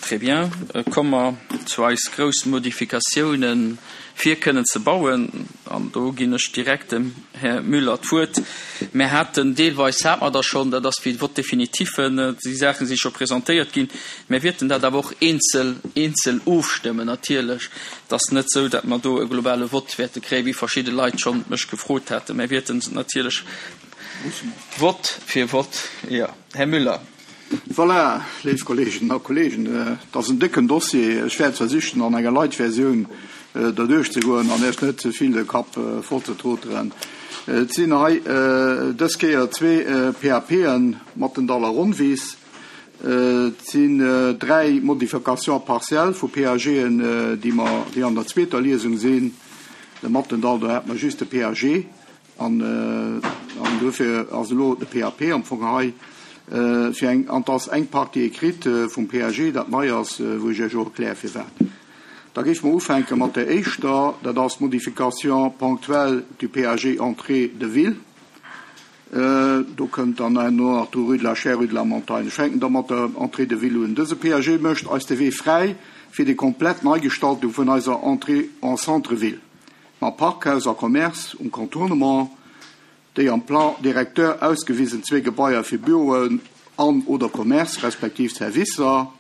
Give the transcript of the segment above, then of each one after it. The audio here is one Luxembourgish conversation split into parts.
Très bien. Komme mer zu eis grouss Modifikatiounen, fir kënnen ze bauen. An do ginn ech direkt dem Här Müller d'Wuert. Mir haten deelweis, hate mer der schonn, dat ass fir de Vote définitif, déi Saache si scho presentéiert ginn. Mir wierten dat awer och eenzel, eenzel ofstëmmen natierlech. Et ass net esou, datt mer do e globale Vott wäerte kréien, wéi verschidde Leit schonn mech gefrot haten. Mir wierten natierlech Vott fir Vott, jo, Här Müller. Voilà, léif Kolleeginnen a Kolleegen, et ass en décken Dossier. Ech wäert versichen, an enger Light-Versioun derduerch ze goen an Iech net ze vill de Kapp vollzetroteren. Et sinn hei dës Kéier zwee PAPen, Mathendahl a Ronnwiss. Et sinn dräi Modifications partielles vu PAGen, déi mer, déi an der zweeter Liesung sinn. De Mathendahl, do hate mer just de PAG. An dofir ass elo de PAP am Fong hei fir eng, an et ass eng Partie écrite vum PAG, dat nei ass, wou ech Iech och erkläre firwat. Da géife mer ufänke mat der éischter, dat ass d'Modification ponctuelle du PAG entrée de ville. Do kënnt dann herno nach d'Rue de la Chaire, Rue de la Montagne. Ech fänken da mat der Entrée de ville un. Dëse PAG mécht eis de Wee fräi fir déi komplett Neigestaltung vun eiser Entrée en centre-ville. Mam Parkhaus a Commerce um Contournement, déi am Plan directeur ausgewisen zwee Gebaier fir Büroen an oder Commerce respektiv Servicer,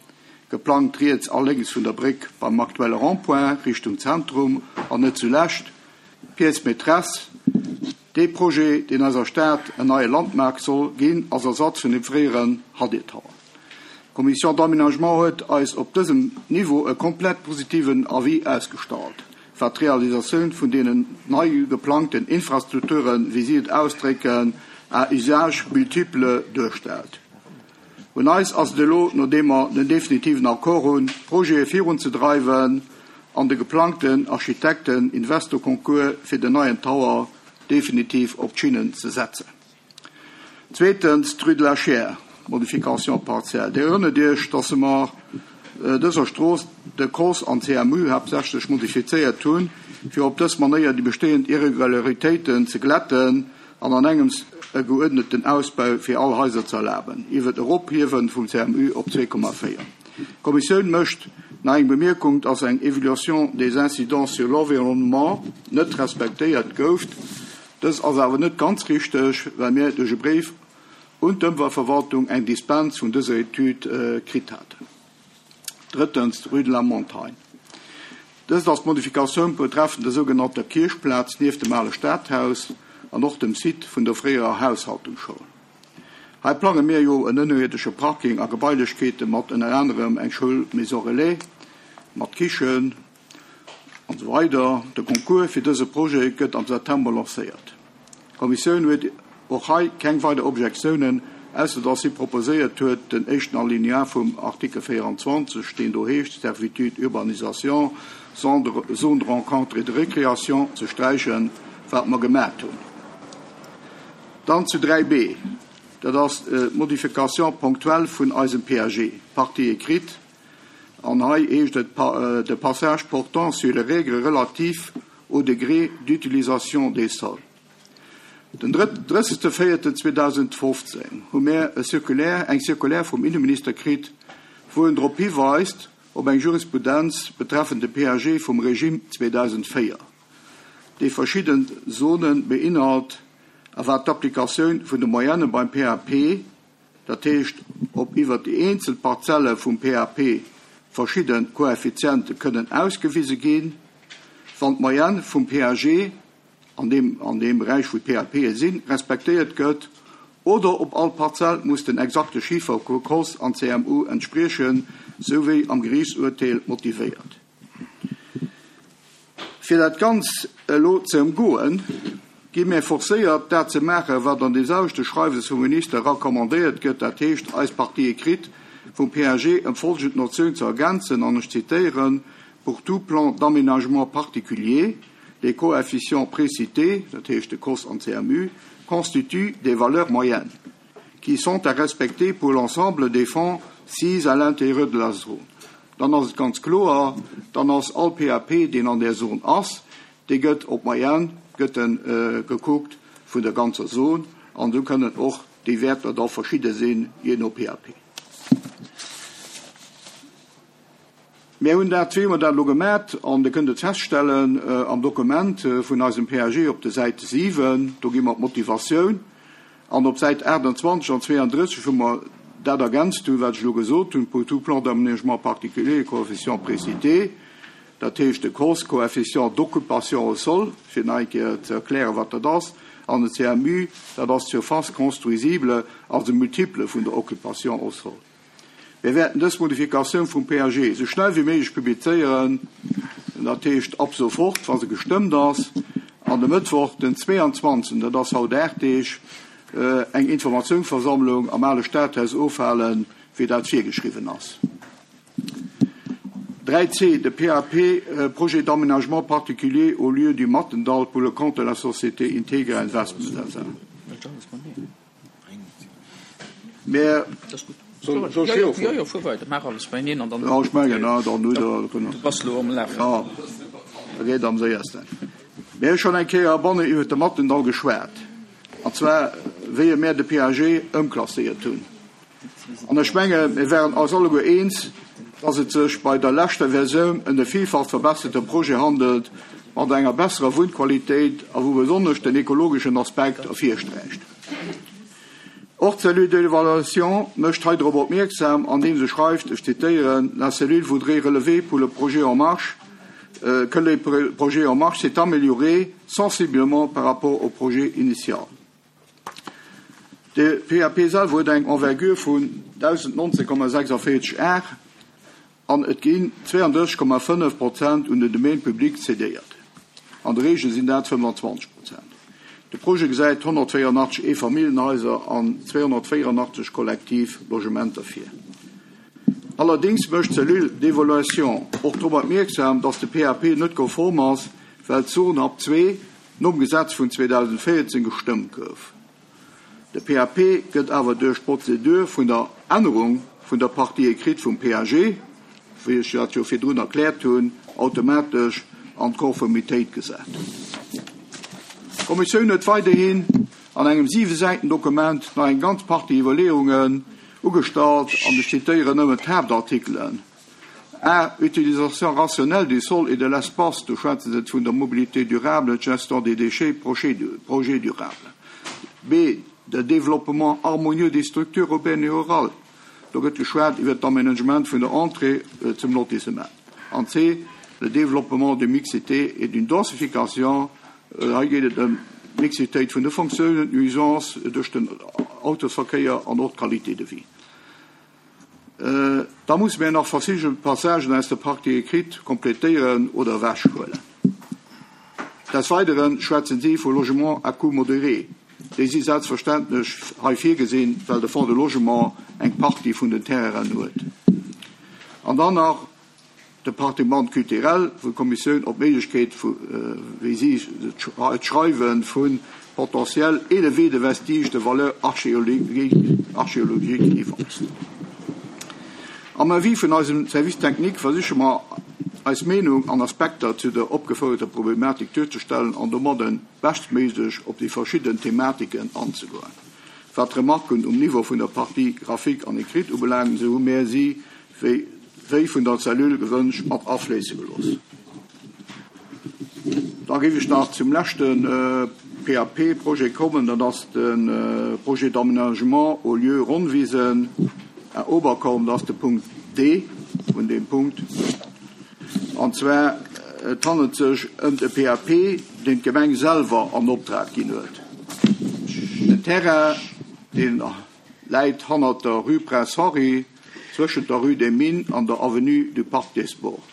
geplangt riets a lénks vun der Bréck beim aktuelle Rond-point Richtung Zentrum an net zulescht d'Pièce maîtresse, dee Projet, deen eiser Stad en neie Landmark soll ginn als Ersatz vun dem fréieren Hadir Tower. D'Commission d'aménagement huet eis op dësem Niveau e komplett positiven Avis ausgestallt. wat d'Realisatioun vun deenen nei geplangten Infrastrukturen, wéi si et ausdrécken, à usage multiple duerstellt. Un eis ass et elo, nodeem mer den definitiven Accord hunn, d'Projete virunzedreiwen an de geplangten Architekten-Investor-Concours fir den neien Tower definitiv op d'Schinnen ze setzen. Zweetens, d'Rue de la Chiers, Modification partielle. Dir erënnert Iech, dass mer dëser Strooss de Cos an d'CMU haaptsächlech modifizéiert hunn, fir op dës Manéier déi bestehend Irregularitéiten ze glätten an an engems e geuerdneten Ausbau fir all Haiser ze erlaben, iwwert Erophiewe vum CMU op 2,4. D'Kommissioun mécht nach eng Bemierkung, dass eng Évaluation des incidences sur l'environnement net respektéiert gouft. Dëst ass awer net ganz richteg, well mir duerch e Bréif un d'Ëmweltverwaltung eng Dispens vun dëser Etüd kritt haten. Drëttens, d'Rue de la Montagne. Dëst ass d'Modifikatioun betreffend der sougenannter Kierchplaz nieft dem ale Stadhaus an och dem Site vun der fréierer Haushaltungsschoul. Hei plange mir jo en ënnerierdesche Parking a Gebailechkeete mat ënner anerem eng Schoul-Maison relais mat Kichen, An esou weider De Concours fir dëse Projet gëtt am September lancéiert. D'Kommissioun huet och hei keng weider Objektiounen, ausser dass si proposéiert huet, den éischten Alinéa vum Artikel 24, deen do heescht Servitude urbanisation, zone de rencontre et de récréation, ze sträichen, wat mer gemaacht hunn. Dann zu 3 b, dat ass d'Modification ponctuelle vun eisem PAG, Partie écrite. An hei heescht et, de passage portant sur les règles relatives au degré d'utilisation des sols. Den 30.04.2015 hu mir e Circulaire, eng Circulaire vum Inneminister kritt, wou en drop hiweist op eng Jurisprudenz betreffend de PAG vum Regime 2004, déi verschidde Zonen beinhalt a wat d'Applikatioun vun de Moyenne beim PAP, Dat heescht, ob iwwert déi eenzel Parzelle vum PAP verschidde Koeffiziente kënnen ausgewise ginn, wann d'Moyenne vum PAG an deem an deem Beräich, wou d'PAPe sinn, respektéiert gëtt, oder ob all Parzell muss den exakte Chiffer vu Cos an CMU entspriechen, sou wéi am Geriichtsurteel motivéiert. Fir dat Ganz elo ze ëmgoen, gi mir forcéiert, dat ze maachen, wat an deem selwechte Schreiwes vum Minister recommandéiert gëtt, dat heescht, eis Partie écrite vum PAG ëm folgend Notioun ze ergänzen, an ech zitieren, Pour tout plan d'aménagement particulier, les coefficients précités, dat heescht de Cos an d'CMU, constituent des valeurs moyennes, qui sont à respecter pour l'ensemble des fonds sis à l'intérieur de la zone. Dann ass et ganz kloer, dann ass all PAP, deen an där Zon ass, dee gëtt op d'Moyenne gëtt e gekuckt vun der ganzer Zon an esou kënnen och déi Wäerter da verschidde sinn, jee no PAP. Mär hunn dat, wéi hu mer dat elo gemat? An Dir kënnt et feststellen am Dokument vun eisem PAG op de Säite 7, do gi mer d'Motivatioun. An op Säit 28 an 32, wou mer dat ergänzt hunn, wat ech elo gesot hunn, pour tout plan d'aménagement particulier, coefficient précité, dat heescht de cos, coefficient d'occupation au sol, fir nach eng Kéier ze erklären, wat dat ass, an de CMU, dat ass d'Surface construisible, also de Multiple vun der Occupation au sol. Mir wäerten dës Modifikatioun vum PAG esou schnell wéi méiglech publizéieren, dat heescht ab sofort, wa se gestëmmt ass, an de Mëttwoch, den 22, dat ass haut 8 Deeg, eng Informatiounversammlung am ale Stadhaus ofhalen, wéi dat virgeschriwwen ass. 3 C, De PAP, Projet d'aménagement particulier au lieu du Mattendall pour le compte de la société Integra Investment SA. Mä soll ech virfueren? Jo, jo, fuer weider, maach alles beieneen an dann. Jo, ech mengen, dann hutt Der. Du bass elo am Lafen. Jo, dat geet am séiersten. Mir hu schonn eng Kéier heibannen iwwert de Mattendall geschwat, an zwar wéi mär de PAG ëmklasséiert hunn. An ech menge mir waren eis alleguer eens, dass et sech bei der leschter Versioun ëm e villfach verbesserte Projet handelt, mat enger besserer Wunnqualitéit a wou besonnesch den ekologeschen Aspekt ervirsträicht. Och d'Cellule d'évaluation mécht hei drop opmierksam, andeem se schreift, ech zitéieren, La cellule voudrait relever pour le projet En Marche que le projet En Marche s'est amélioré sensiblement par rapport au projet initial. De PAP selwer huet eng Envergure vun 1.019,46 Ar an et ginn 32,5 Prozent un den Domaine public cedéiert. An der Reegel sinn dat 25 Prozent. De Projet gesäit 184 Eefamilljenhaiser an 284 kollektiv Logementer vir. Allerdéngs mécht d'Cellule d'évaluation och drop opmierksam, datt de PAP net konform ass, well d'Zon ab 2 nom Gesetz vun 2014 gestëmmt gouf. De PAP gëtt awer duerch d'Prozedur vun der Ännerung vun der Partie écrite vum PAG, wéi ech dat jo virdrun erkläert hunn, automatesch an d'Konformitéit gesat. D'Kommissioun huet weiderhin an engem siwe-Säiten-Dokument nach eng ganz Partie Iwwerleeungen ugestallt, an ech zitéieren nëmmen d'Haaptartikelen. A. Utilisation rationnelle du sol et de l'espace, do schwätze se vun der Mobilité durable, gestion des déchets, projet durable. B. De développement harmonieux des structures urbaines et rurales, do gëtt geschwat iwwert d'Aménagement vun der Entrée zum Lotissement. An C. Le développement d'une mixité et d'une densification, hei geet et ëm d'Mixitéit vun de Fonctiounen, d'Nuisances duerch den Autosverkéier an och d'Qualité de vie. Da musse mir nach verschidde Passagen aus der Partie écrite kompletéieren oder ewechhuelen. Des Weidere schwätzen si vu Logements à coût modéré. Déi si selbstverständlech hei virgesinn, well de Fonds de Logement eng Partie vun den Terrainen huet. An dann nach De Patrimoine culturel, wou d'Kommissioun op d'Méiglechkeet vu, wéi si et schreiwen, vu potentiels élevés de vestiges de valeur archéologique hiweist. Am Avis vun eisem Service technique versiche mer, eis Meenung an Aspekter zu der opgefouerter Problematik duerzestellen an domadde beschtméiglech op déi verschidden Thematiken anzegoen. Wat d'Remarken um Niveau vun der Partie graphique an écrite ubelaangt, esou hu mär si wéi wéi vun der Cellule gewënscht, mat afléisse gelooss. Da géif ech nach zum leschte PAP-Projet kommen, dat ass de Projet d'aménagement au lieu Ronnwisen à Oberkorn. Dat ass de Punkt D vun deem Punkt. An zwar, et handelt sech ëm e PAP, deen d'Gemeng selwer an Optrag ginn huet. Den Terrain, deen läit hannert der Rue Prince Henri, zwëschent der Rue des Mines an der Avenue du Parc des Sports.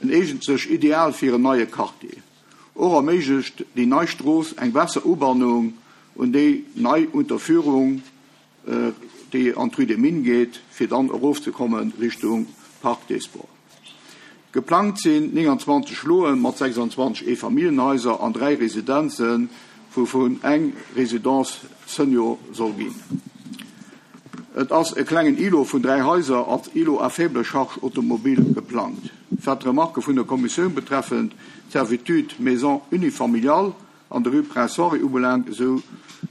En eegent sech ideal fir en neie Quartier. Och erméiglecht déi nei Strooss eng besser Ubannung un déi nei Unterführung, déi an d'Rue des Mines geet, fir dann erofzekomme Richtung Parc des Sports. Geplangt sinn 29 Loe mat 26 Eefamilljenhaiser an 3 Residenzen, wouvun eng Résidence senior soll ginn. Et ass e klengen Îlot vun 3 Haiser als Îlot à faible charge automobile geplangt. Wat d'Remarke vun der Kommissioun betreffend d'Servitude maison unifamiliale an der Rue Prince Henri ubelaangt, esou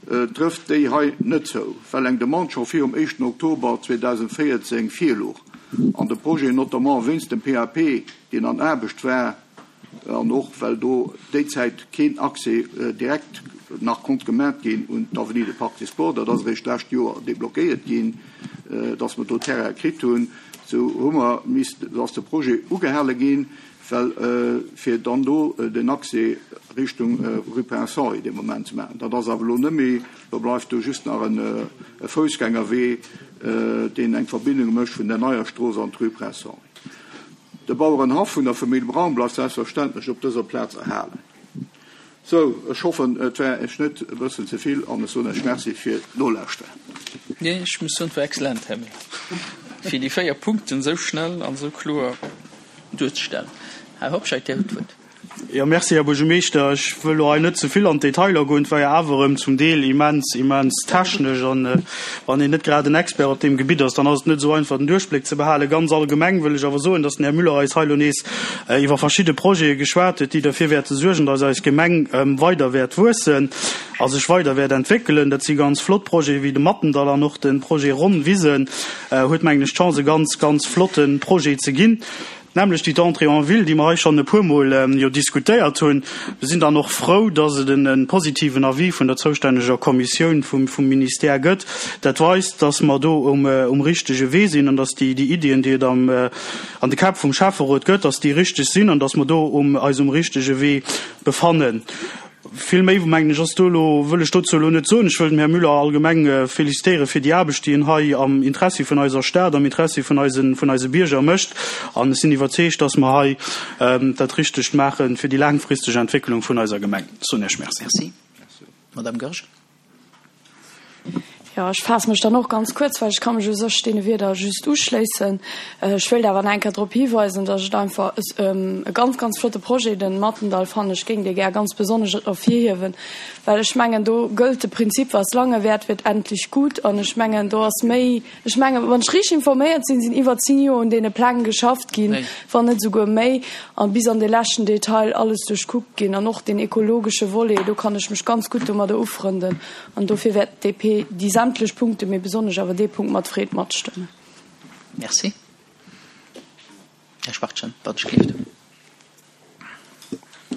trëfft déi hei net zou, well eng Demande scho virum éischten Oktober 2014 virluch. An de Projet, notamment wéinst dem PAP, deen an Aarbecht war, an och well do déi Zäit keen Accès direkt nach konnt gemat ginn un d'Avenue de Parc des Sports, dat ass eréischt d'lescht Joer deblockéiert ginn, dass mer do Terrain kritt hunn, sou hu mer misst, sou ass de Projet ugehale ginn, well fir dann do den Accès Richtung Rue Prince Henri dee Moment ze maachen. Dat ass awer elo net méi, do bleift do just nach e Foussgängerwee, deen eng Verbindung mécht vun der Neier Strooss an d'Rue Prince Henri. De Bauerenhaff vun der Famill Braun bleift selbstverständlech op dëser Plaz erhalen. Sou, ech hoffen, et war Iech net e bëssen ze vill an ech soen Iech Merci fir d'Nolauschteren. Nee, ech muss soen, et war excellent, Här Müller, fir déi 4 Punkten esou schnell an esou kloer duerzestellen. Här Hobscheit, Dir hutt d'Wuert. Jo, merci, Här Buergermeeschter. Ech wëll elo hei net ze vill an d'Detailer goen. Et war jo awer erëm zum Deel immens, immens technesch. An wann een net grad en Expert op deem Gebitt ass, dann ass et net esou einfach, den Duerchbléck ze behalen. Ganz allgemeng wëll ech awer soen, dass den Här Müller eis hei elo nees iwwer verschidde Projete geschwat huet, déi derfir wäerte suergen, dass eis Gemeng weider wäert wuessen a sech weider wäert entwéckelen. Dat si ganz flott Projete wéi de Mattendall an och de Projet Ronnwisen huet, mengen ech, d'Chance, e ganz, ganz flotte Projet ze ginn. Nämlech déi d'Entrée en ville, déi mer hei schonn e puermol jo diskutéiert hunn. Mir sinn dann och frou, dass et e positiven Avis vun der zoustänneger Kommissioun vum Ministère gëtt. Dat weist, dass mer do um richtege Wee sinn an dass déi Iddien, déi et an de Käpp vum Schäfferot gëtt, dass déi richteg sinn an dass mer do eis um richtege Wee befannen. Vill méi, mengen ech, ass do elo, wëll ech dozou elo net soen. Ech wëll dem Här Müller allgemeng félicitéiere fir déi Aarbecht, déi en hei am Interessi vun eiser Stad, am Interessi vun eisen, vun eise Bierger mécht. An ech sinn iwwerzeegt, dass mer hei dat Richtegt maache fir déi laangfristeg Entwécklung vun eiser Gemeng. Ech soen Iech Merci. Merci. Madame Goergen. Jo, ech faasse mech dann och ganz kuerz, well ech ka mech u sech deene Wierder just uschléissen. Ech wéilt awer nach eng Kéier drop hiweisen, datt ech et einfach e ganz, ganz flotte Projet, den Mattendall, fannen. Ech géing dee gär ganz besonnesch ervirhiewen, well ech mengen, do gëllt de Prinzip, Was lange währt, wird endlich gut. An ech mengen, do ass méi, ech mengen, wann ech richteg informéiert sinn, sinn iwwer 10 Joer un deene Pläng geschafft ginn, wann net esouguer méi, a bis an de leschten Detail alles duerchkuckt ginn. An och deen ekologesche Volet, do kann ech mech ganz gutt domadder ufrënden. An dofir wäert d'DP déi sämtlech Punkten, mee besonnesch awer dee Punkt mat Freed matstëmmen. Merci. Här Schwachtgen, wann ech gleeft.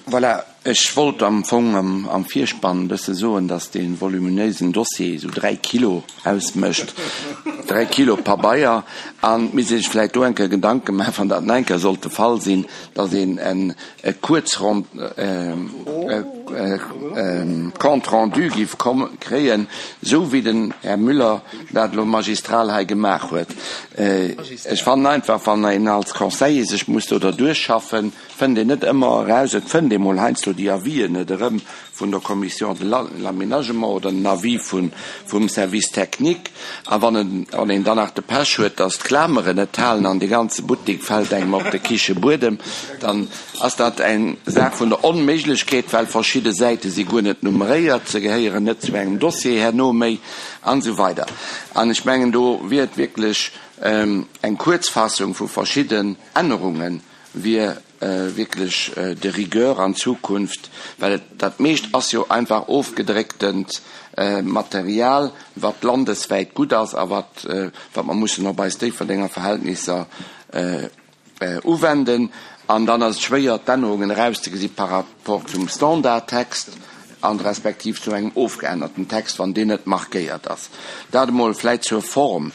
Voilà, ech wollt am Fong am Virspann e bësse soen, dass dee voluminéisen Dossier esou 3 Kilo ausmécht, 3 Kilo Pabeier, a mir sech vläicht do eng Kéier Gedanke maachen, wann dat nach eng Kéier sollt de Fall sinn, dass een en e kuerz Compte rendu giff kréien, esou wéi den Här Müller dat elo magistral hei gemaach huet. Ech fannen einfach, wann een als Conseiller sech muss do derduerch schaffen, fënnt een net ëmmer eraus, et fënnt ee mol heiansdo déi Avisen net erëm vun der Commission de l'aménagement oder den Avis vum Service technique. A wann een dann nach de Pech huet, dass d'Klameren net halen an de ganze Buttek fält engem op de Kichebuedem, dann ass dat eng Saach vun der Onméiglechkeet, well verschidde Säite si guer net nummeréiert, se gehéieren net zu engem Dossier herno méi an esou weider. An ech mengen, do wier et wierklech eng Kuerzfassung vu verschidden Ännerungen wier wierklech de rigueur an Zukunft, well et dat meescht ass jo einfach ofgedrécktent Material, wat landeswäit gutt ass a wat wat mer mussen op eis Déifferdenger Verhältnisser uwenden. An dann ass et schwéier, d'Ännerungen erauszegesinn par rapport zum Standardtext an respektiv zu engem ofgeännerten Text, wann deen net markéiert ass. Dat emol vläit zur Form.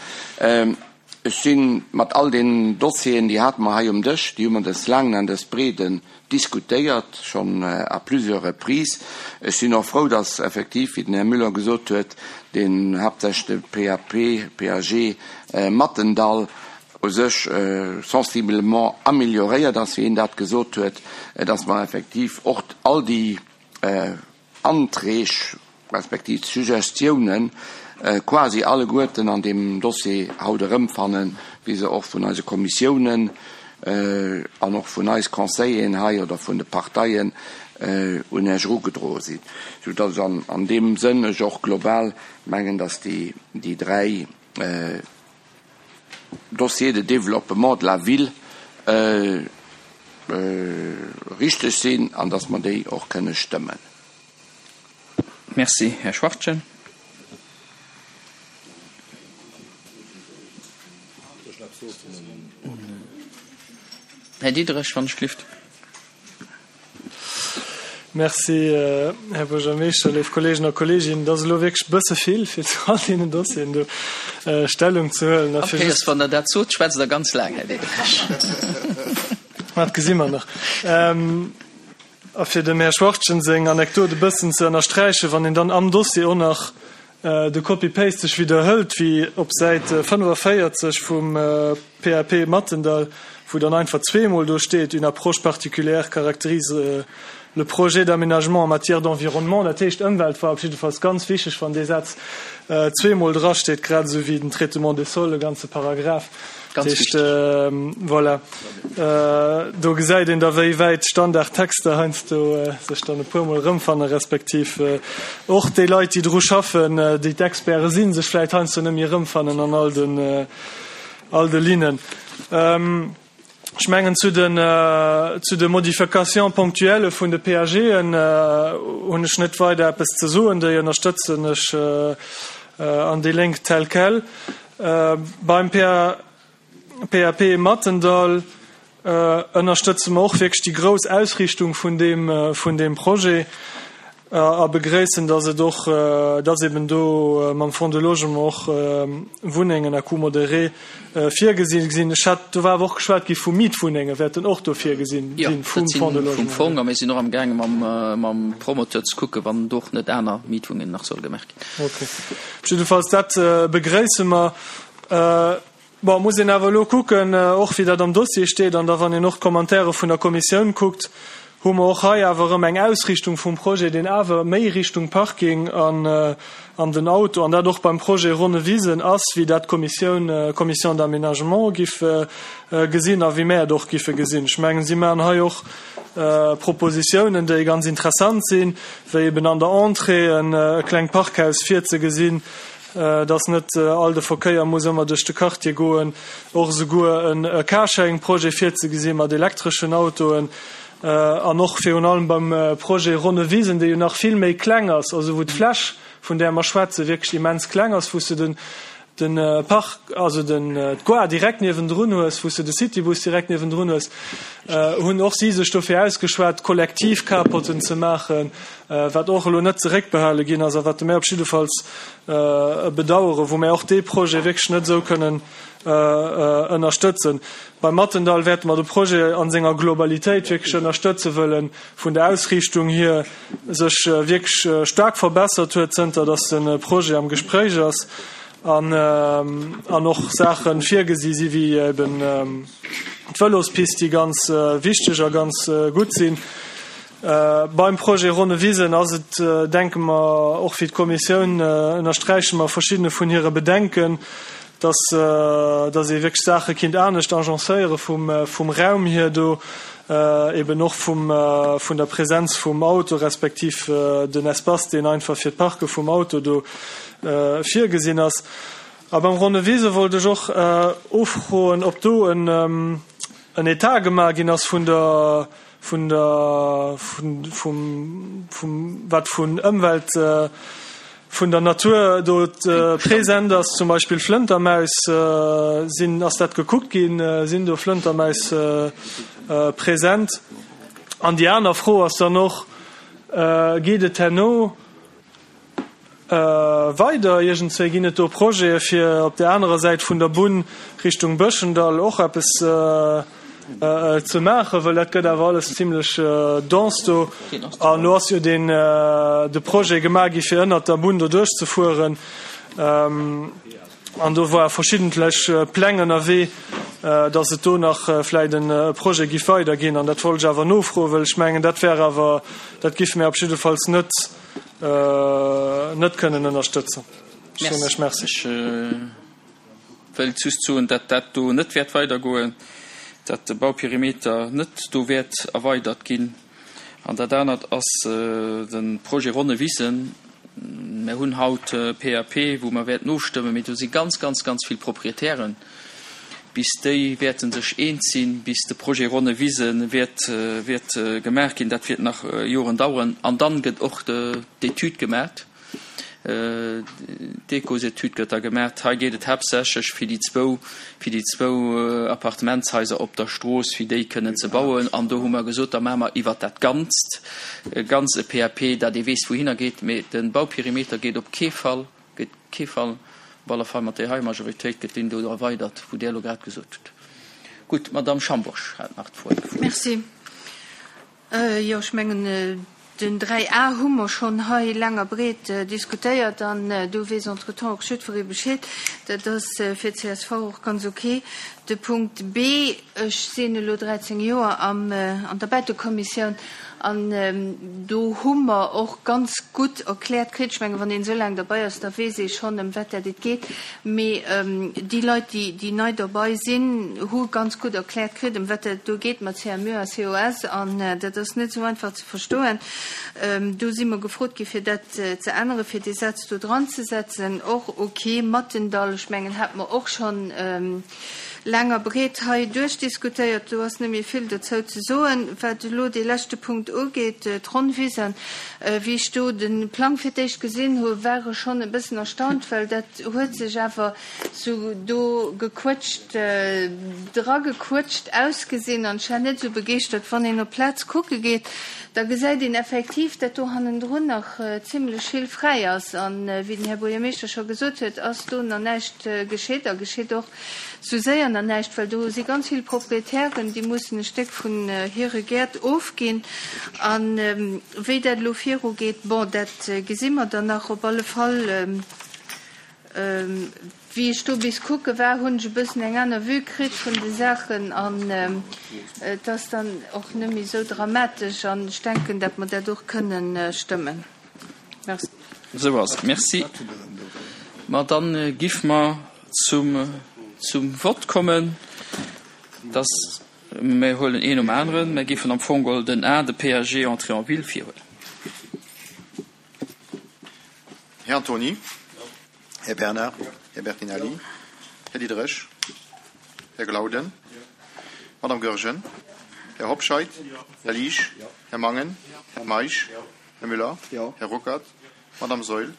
Ech si mat all deenen Dossieren, déi hate mer hei um Dësch, déi hu mer des Laangen an des Breeden diskutéiert, schonn à plusieurs reprises. Ech sinn och frou, dass effektiv, wéi den Här Müller gesot huet, deen haaptsächlech de PAP, PAG Mattendall u sech sensiblement amélioréiert ass, wéi hien dat gesot huet, dass mer effektiv och all déi Anträg respektiv Suggestiounen quasi alleguerten an deem Dossier haut erëmfannen, wéi se och vun eise Kommissiounen an och vun eis Conseilleren hei oder vun de Parteien un Iech erugedroe sinn, soudass an deem Sënn ech och global mengen, dass déi 3 Dossiers de développement de la ville richteg sinn an dass mer déi och kënne stëmmen. Merci, Här Schwachtgen. Här Diderich, wann ech glift. Merci, Här Buergermeeschter, léif Kolleegen a Kolleeginnen. Et ass elo wierklech e bësse vill, fir zu all deenen Dossieren do Stellung ze huelen. All Kéiers, wann Der dat sot, schwätzt Der ganz laang, Här Diderich. Dat gesi mer nach. A fir dem Här Schwachtgen seng Anekdot e bëssen ze ënnersträichen, Wann een dann am Dossier och nach de Copy-Paste sech widderhëlt, wéi op Säit 45 vum PAP Mathendahl, wou dann einfach zweemol do steet, Une approche particulière caractérise le projet d'aménagement en matière d'environnement. Dat heescht, Ëmwelt war op jiddefalls ganz wichteg, wann dee Saz zweemol drasteet, grad esou wéi den Traitement des sols, e ganze Paragraph. Dat heescht, voilà, do gesäit een da wéi wäit Standardtexter heiansdo sech dann e puermol erëmfannen, respektiv och déi Leit, déi dru schaffen, déi d'Experte sinn, sech vläicht heiansdo net méi erëmfannen an all den, all de Linnen. Ech mengen, zu den, zu de Modifications ponctuelles vun de PAGen hunn ech net weider eppes ze soen. Déi ënnerstëtzen ech an déi Lénk tel quel. Beim PAP Mathendahl ënnerstëtze mer och wierklech déi grouss Ausriichtung vun deem, vun deem Projet a begréissen, dass et och, dass eben do mam Fonds de Logement och Wunnengen à coût modéré virgesi sinn. Ech hat, do war awer och geschwat gi vu Mietwunnenge wäerten och do virgesinn sinn vum Fonds de Logement. Jo, dat si vum Fong a mir sinn och amgaange mam, mam Promoteur ze kucken, wann do och net aner Mietwunnengen nach solle gemaach ginn. Ok. Jiddefalls dat begréisse mer. Bon, muss een awer elo kucken, och wéi dat am Dossier steet, an da wann een och d'Commentairë vun der Kommissioun kuckt, hu mer och hei awer erëm eng Ausrichtung vum Projet, deen awer méi Richtung Parking an an den Auto, an dat och beim Projet Ronne Wisen ass, wéi dat d'Kommissioun, Commission d'aménagement giff gesinn a wéi mär et och giffe gesinn. Ech mengen, si maachen hei och Propositiounen, déi ganz interessant sinn, wéi eben an der Entrée e klengt Parkhaus virzegesinn, dass net all de Verkéier muss ëmmer duerch de Quartier goen, och esouguer e Carsharing-Projet virzegesinn mat elektreschen Autoen an och virun allem beim Projet Ronne Wisen, dee jo nach vill méi kleng ass, also wou d'Fläch, vun där mer schwätzen, wierklech immens kleng ass, wou s de den de Park, also den d'Gare direkt niewendrun hues, wou s de de Citybus direkt niewendrun hues, hunn och si sech dofir ausgeschwat, kollektiv Carporten ze maachen, wat och elo net zeréckbehale ginn ass a wat mär op jiddefalls bedaueren, wou mär och dee Projet wierklech net esou kënnen ënnerstëtzen. Beim Mathendahl wäerte mer de Projet a senger Globalitéit wierklech ënnerstëtze wëllen, vun der Ausriichtung hier sech wierklech staark verbessert huet, zënter datt de Projet am Gespréich ass an an och Saache virgesi si wéi eben d'Vëlospist, déi ganz wichteg a ganz gutt sinn. Beim Projet Ronne Wisen ass et, denke mer, och wéi d'Kommissioun, ënnersträiche mer verschiddene vun hire Bedenken, dass dass ee wierklech Saache kinnt anescht agencéiere vum vum Raum hier do, eben och vum vun der Präsenz vum Auto respektiv den Espace, deen einfach fir d'Parke vum Auto do virgesinn ass. A beim Ronne Wise wollt ech och offroen, ob do en en Etat gemaach ginn ass vun der vun der, vun, vum, vum, wat vun Ëmwelt, vun der Natur do present ass, zum Beispill Flëntermaus, sinn, ass dat gekuckt ginn, sinn do Flëntermaus present? An déi aner Fro ass dann och, geet et herno, Weider iergendzwéi ginn et do Projete fir op där anerer Säit vun der Bunn Richtung Bëschendall och eppes ze maachen, wëll dat gëtt awer alles zimlech dense do. An elo ass jo deen de Projet gemaach gi fir ënnert der Bunn doduerch ze fueren. An do ware verschiddentlech Pläng ënnerwee, datt et do nach vläicht e Projet giff weiderginn. An dat wollt ech awer nofroen, wëll ech mengen, dat wär awer, dat giffe mir op jiddefalls net net kënnen ënnerstëtzen. Ech soen Iech Merci. Ech wëilt just soen, datt dat do net wäert weidergoen, datt de Bauperimeter net do wäert erweidert ginn. An dat anert ass de Projet Ronne Wissen. Mir hunn haut PAP, wou mer wäerten ofstëmmen, mee do si ganz, ganz, ganz vill Proprietären. bis déi wäerte sech eens sinn, bis de Projet Ronne Wise wäert, wäert gemaach ginn. Dat wäert nach Joren daueren. An dann gëtt och d'Etüd gemaach. D'Ecosetüd gëtt da gemaach. Hei geet et haaptsächlech fir déi zwou, fir déi zwou Appartementshaiser op der Strooss, fir déi kënnen ze bauen. An do hu mer gesot, da maache mer iwwert dat Ganzt ganz e PAP, dat ee weess, wouhinner geet. Mee de Bauperimeter geet op kee Fall, geet kee Fall, op alle Fall mat där hei Majoritéit gëtt deen do erweidert, wou Där elo grad gesot hutt. Gutt, d'Madamm Schambourg hat nach d'Wuert gefrot. Merci. Jo, ech mengen, den 3 A hu mer schonn hei laang a breet diskutéiert an do weess entretemps och jiddweree Bescheed. Dat ass fir d'CSV och ganz ok. De Punkt B, ech sinn elo 13 Joer am, an der Bautekommissioun an do hu mer och ganz gutt erkläert kritt, ech mengen, wann een esou laang derbei ass, da weess ee schonn, ëm wat dat et geet, Mee déi Leit, déi nei derbei sinn, hu ganz gutt erkläert kritt, ëm wat dat do geet mat CMU a COS. An dat ass net esou einfach ze verstoen. Do si mer gefrot gi fir dat ze änneren, fir dee Saz do dranzesetzen. Och ok. Mathendall, ech mengen, hate mer och schonn laang a breet hei duerchdiskutéiert. Do ass net méi vill dozou ze soen. Wat elo dee leschte Punkt ugeet, d'Ronnwisen, wéi ech do de Plang fir d'éischt gesinn hu, war ech schonn e bëssen erstaunt, well dat huet sech awer sou do gequëtscht, dragequëtscht ausgesinn an ech war net esou begeeschtert. Wann een op d'Plaz kucke geet, da gesäit een effektiv, dat do hannendrun nach zimlech vill fräi ass. An wéi den Här Buergermeeschter scho gesot huet, ass do nach näischt geschitt a geschitt och Sou séier nach näischt, well do si ganz vill Proprietären, déi mussen e Stéck vun hire Gäert ofginn. A wéi dat elo virugeet, bon, dat gesi mer dann nach. Op alle Fall, wéi ech do bis kucke war, hunn ech e bëssen eng aner Vue kritt vun de Saachen an et ass dann och net méi esou dramatesch an ech denken, datt mer dat och kënnen stëmmen. Merci. Esou ass et. Merci. Ma dann giff mer zum zum Vott kommen. Dass mer huelen een nom aneren. Mer giffen am Fong geholl den A, de PAG Entrée en ville virhuelen. Här Antony, Här Bernard, Här Bertinelli, Här Diderich, Här Glauden, Madame Goergen, Här Hobscheit, Här Liesch, Här Mangen, Här Meisch, Här Müller, Här Ruckert, Madame Saeul,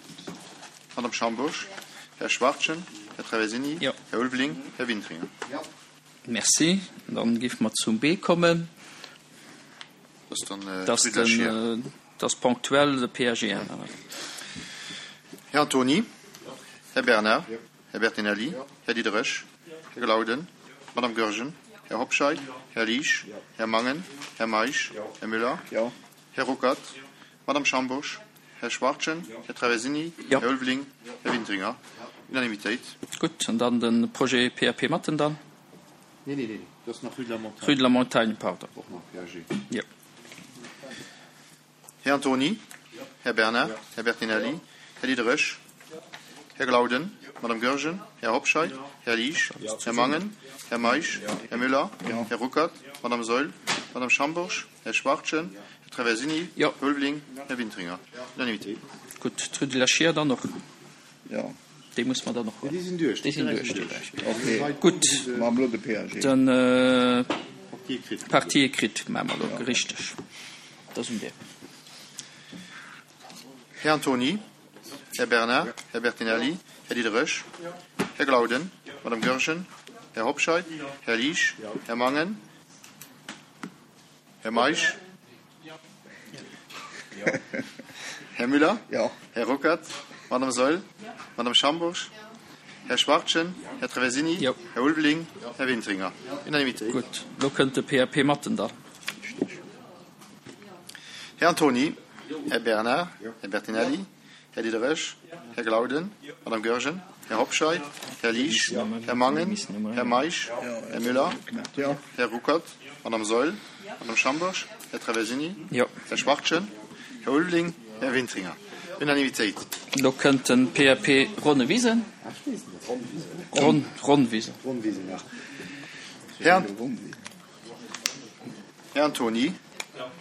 Madame Schambourg, Här Schwachtgen, Här Traversini, Här Ulveling, Här Wintringer. Merci. Dann géife mer zum B kommen. Dat ass ponctuel de PAG. Här Antony, Här Bernard, Här Bertinelli, Här Diderich, Här Glauden, Madame Goergen, Här Hobscheit, Här Liesch, Här Mangen, Här Meisch, Här Müller, Här Ruckert, Madame Schambourg, Här Schwachtgen, Här Traversini, Här Ulveling, Här Wintringer. Unanimitéit. Gutt, an dann de Projet PAP Mathendall. Nee, nee, nee, dat ass nach Rue de la Montagne. Rue de la Montagne, pardon. Och nach PAG. Jo. Här Antony, Här Bernard, Här Bertinelli, Här Diderich, Här Glauden, Madame Goergen, Här Hobscheit, Här Liesch, Här Mangen, Här Meisch, Här Müller, Här Ruckert, Madame Saeul, Madame Schambourg, Här Schwachtgen, Här Traversini, Här Ulveling, Här Wintringer. Unanimité. Gutt, d'Rue de la Chiers dann och. Déi muss mer dann och huelen. Déi sinn duerch. Déi sinn duerch, déi dräi. Gutt, den Partie écrite maache mer elo. Richteg, dat ass un dir. Här Antony, Här Bernard, Här Bertinelli, Här Diderich, Här Glauden, Madame Goergen, Här Hobscheit, Här Liesch, Här Mangen, Här Meisch, Här Müller, Här Ruckert, Madame Saeul, Madame Schambourg, Här Schwachtgen, Här Traversini, Här Ulveling, Här Wintringer. Unanimitéit. Gutt, elo kënnt de PAP Mathendall. Här Antony, Här Bernard, Här Bertinelli, Här Diderich, Här Glauden, Madame Goergen, Här Hobscheit, Här Liesch, Här Mangen, Här Meisch, Här Müller, Här Ruckert, Madame Saeul, Madame Schambourg, Här Traversini, Här Schwachtgen, Här Ulveling, Här Wintringer. Unanimitéit. Elo kënnt den PAP Ronnewisen. Ronnewisen. Här Antony,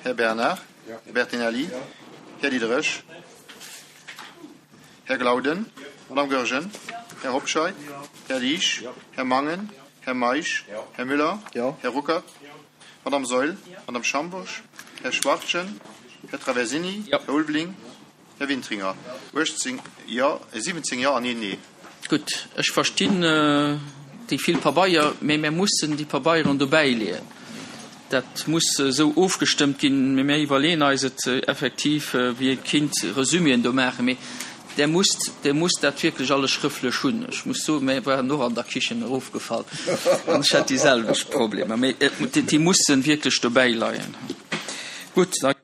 Här Bernard, Här Bertinelli, Här Diderich, Här Glauden, Madame Goergen, Här Hobscheit, Här Liesch, Här Mangen, Här Meisch, Här Müller, Här Ruckert, Madame Saeul, Madame Schambourg, Här Schwachtgen, Här Traversini, Här Ulveling, Här. Här Wintringer. 18 Jo, 17 Jo an een Nee. Gutt, ech verstinn déi vill Pabeier, mee mär mussen déi Pabeieren dobäi leeën. Dat muss esou ofgestëmmt ginn, mee mär iwwerleeën eis et effektiv, wéi ee kinnt Resuméen do maachen. Mee Der musst, Der musst dat wierklech alles schrëftlech hunn. Ech muss soen, mär waren och an der Kichen erofgefall an ech hat déi selwecht Problemer. Mee déi mussen wierklech dobäi leien. Gutt, da.